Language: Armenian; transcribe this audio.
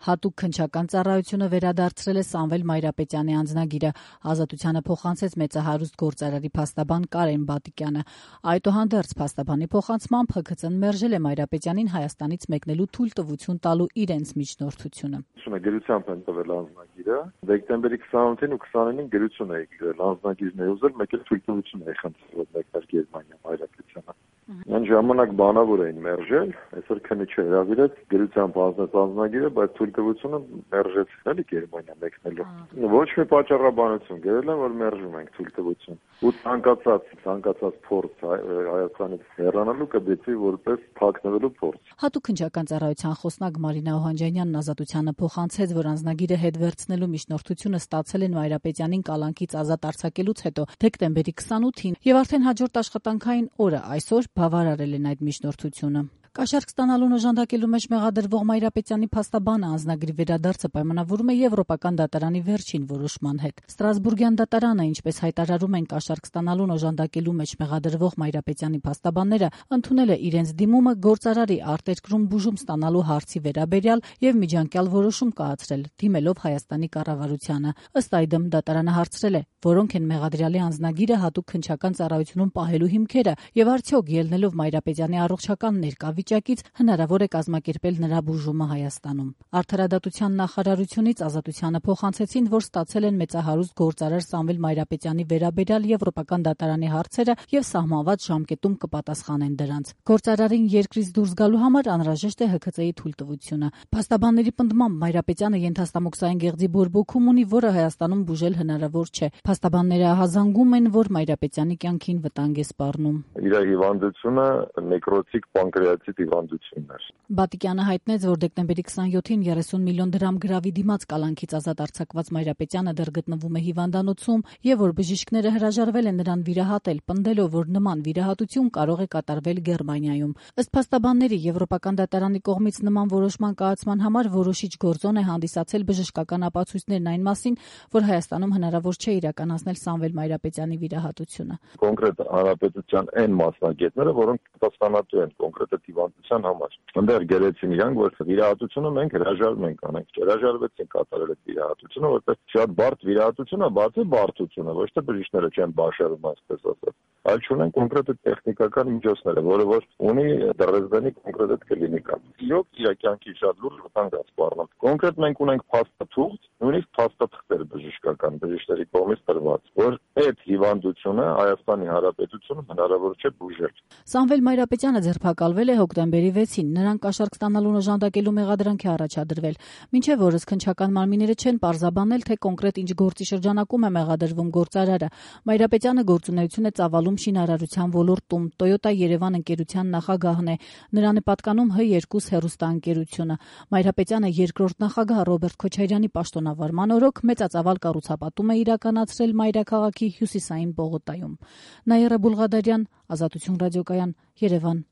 Հատուկ քննչական ծառայությունը վերադարձրել է Սամվել Մայրապետյանի անձնագիրը։ Ազատությանը փոխանցեց մեծահարուստ գործարարի փաստաբան Կարեն Բատիկյանը։ Այդուհանդերձ փաստաբանի փոխանցմամբ ՀՔԾ-ն մերժել է Մայրապետյանին Հայաստանից մեկնելու թույլտվություն տալու իրենց միջնորդությունը։ Գրությամբ են տվել անձնագիրը։ Դեկտեմբերի 28-ին ու 29-ին գրություն է գրել, անձնագիրն է ուզել, մեկ էլ թույլտվություն է խնդրել, որ մեկներ Գերմանիա Մայրապետյանը։ Այն ժամանակ բանավոր էին մերժել, այսօր քննիչը հրավիրեց, գրությամբ հանձնեց անձնագիրը, բայց թույլտվությունը մերժեցին էլի Գերմանիա մեկնելու։ Ոչ մի պատճառաբանություն գրել են, որ մերժում ենք թույլտվություն։ Ու ցանկացած փորձ Հայաստանից հեռանալու կդիտվի որպես թաքնվելու փորձ։ Հատուկ քննչական ծառայության խոսնակ Մարինա Օհանջանյանն Ազատությանը փոխանցեց, որ անձնագիրը հետ վերցնելու միջնորդությունը ստացել են Մայրապետյանին կալանքից ազատ արձակելուց հետո դեկտեմբերի 28-ին եւ արդեն հաջորդ աշխատանքային օրը այսօր բավարարել են այդ միջնորդությունը։ Կաշառք ստանալուն օժանդակելու մեջ մեղադրվող Մայրապետյանի փաստաբանը անձնագրի վերադարձը պայմանավորում է Եվրոպական դատարանի վերջին որոշման հետ։ Ստրասբուրգյան դատարանը, ինչպես հայտարարում են կաշառք ստանալուն օժանդակելու մեջ մեղադրվող Մայրապետյանի փաստաբանները, ընդունել է իրենց դիմումը գործարարի արտերկրում բուժում ստանալու հարցի վերաբերյալ եւ միջանկյալ որոշում կայացրել, դիմելով Հայաստանի կառավարությանը։ Ըստ այդմ դատարանը հարցրել է, որոնք են մեղադրյալի անձնագիրը հատուկ քննչական ծառայությունում պահելու հիմքերը եւ արդյոք ելնելով Մայրապետյանի առողջական ներկայ հնարավոր է կազմակերպել նրա բուժումը Հայաստանում։ Արդարադատության նախարարությունից Ազատությանը փոխանցեցին, որ ստացել են մեծահարուստ գործարար Սամվել Մայրապետյանի վերաբերյալ Եվրոպական դատարանի հարցերը եւ սահմանված ժամկետում կպատասխանեն դրանց։ Գործարարին երկրից դուրս գալու համար անհրաժեշտ է ՀՔԾ-ի թույլտվությունը։ Փաստաբանների պնդմամբ Մայրապետյանը ենթաստամոքսային գեղձի բորբոքում ունի, որը Հայաստանում բուժել հնարավոր չէ։ Փաստաբանները ահազանգում են, որ Մայրապետյանի կյանքին վտանգ է սպառնում։ Իր հիվանդությունը նեկրոտիկ պանկրեատիտ հիվանդությունն էր։ Բատիկյանը հայտնեց, որ դեկտեմբերի 27-ին 30 միլիոն դրամ գրավի դիմաց կալանքից ազատ արձակված Մայրապետյանը դեռ գտնվում է հիվանդանոցում եւ որ բժիշկները հրաժարվել են նրան վիրահատել, պնդելով, որ նման վիրահատություն կարող է կատարվել Գերմանիայում։ Ըստ փաստաբանների, Եվրոպական դատարանի կողմից նման որոշման կայացման համար որոշիչ գործոն է հանդիսացել բժշկական ապացույցներն այն մասին, որ Հայաստանում հնարավոր չէ իրականացնել Սամվել Մայրապետյանի վիրահատությունը։ Կոնկրետ հանրապետության այն մասնագետները, որոնք պատասխանատու են կոնկրետ հիվանդության համար, այնտեղ գերեցին իրանք, որ վիրահատությունը մենք հրաժարվում ենք անենք, հրաժարվեցին կատարել այդ վիրահատությունը, որտեղ շատ բարդ վիրահատություն է, բացի բարդությունը, ոչ թե բժիշկները չեն բաշխում, այսպես ասած, այլ չունեն կոնկրետ տեխնիկական միջոցները, որը որ ունի Դրեզդենի կոնկրետ կլինիկան։ Իրոք իր կյանքի շատ լուրջ վտանգ է սպառնում։ Կոնկրետ մենք ունենք փաստաթուղթ, նույնիսկ փաստաթղթեր բժշկական բժիշկների կողմից տրված, որ այդ հիվանդությունը Հայաստանի Հանրապետությունում հնարավոր չէ բուժել։ Սամվել Մայրապետյանը ձերբակալվել է հոկտեմբերի 6-ին, նրան կաշառք ստանալուն օժանդակելու մեղադրանք է առաջադրվել։ Մինչև օրս քննչական մարմինները չեն պարզաբանել, թե կոնկրետ ինչ գործի շրջանակում է մեղադրվում գործարարը։ Մայրապետյանը գործունեություն է ծավալում շինարարության ոլորտում, Toyota Երևան ընկերության նախագահն է։ Նրան է պատկանում H2 հեռուստաընկերությունը։ Մայրապետյանը երկրորդ նախագահ Ռոբերտ Քոչարյանի պաշտոնավարման օրոք մեծածավալ կառուցապատում է իրականացրել մայրաքաղաքի հյուսիսային պողոտայում։ Նաիրա Բուլղադարյան, Ազատություն ռադիոկայան, Երևան։